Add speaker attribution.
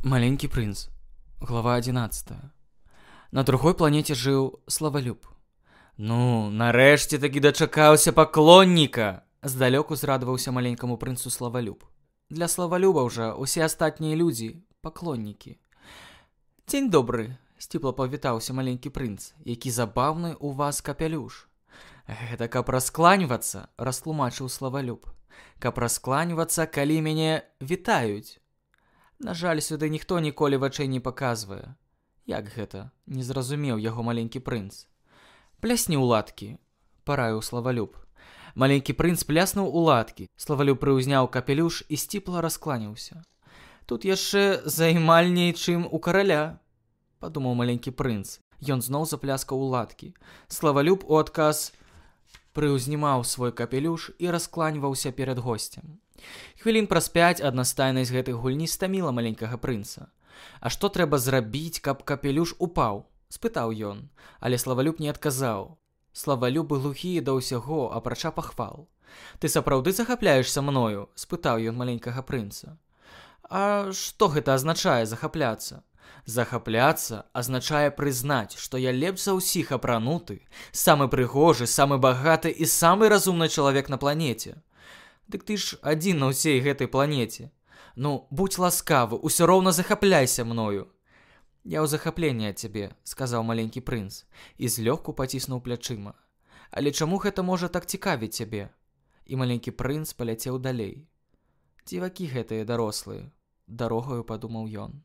Speaker 1: Маленький принц. Глава 11. На другой планете жыў Славалюб. Ну, нарэшце такі дачакаўся паклонніка! Здалёку зрадаваўся маленькаму прынцу Славалюб. Для Славалюба ўжо усе астатнія людзі паклоннікі. Дзень добры, сціпла павітаўся маленькі прынц, які забаўны у вас капялюш. Гэта каб раскланьвацца, растлумачыў Славалюб. Каб раскланьвацца, калі мяне вітаюць. На жаль, сюды ніхто ніколі вачэй не паказвае. Як гэта? Не зразумеў яго маленькі прынц. Плясні ў ладкі, параіў Славалюб. Маленькі прынц пляснуў у ладкі. Славалюб прыўзняў капелюш і сціпла раскланяўся. Тут яшчэ займальней, чым у караля, падумаў маленькі прынц. Ён зноў запляскаў у ладкі. Славалюб у адказ прыўзнімаў свой капелюш і раскланьваўся перад госцем. Хвілін праз 5 аднастайнасць гэтых гульні стаміла маленькага прынца. А што трэба зрабіць, каб капелюш упаў? Спытаў ён, але Славалюб не адказаў. Славалюб быў глухі да ўсяго, апрача пахвал. Ты сапраўды захапляешся мною? Спытаў ён маленькага прынца. А што гэта азначае захапляцца? Захапляцца азначае прызнаць, што я лепш за ўсіх апрануты, самы прыгожы, самы багаты і самы разумны чалавек на планеце. Дык ты ж адзін на ўсей гэтай планеце. Ну, будзь ласкавы, усё роўна захапляйся мною. Я ў захапленні ад цябе, сказаў маленькі прынц, і злёгку паціснуў плячыма. Але чаму гэта можа так цікавіць цябе? І маленькі прынц паляцеў далей. Дзівакі гэтыя дарослыя, дарогаю падумаў ён.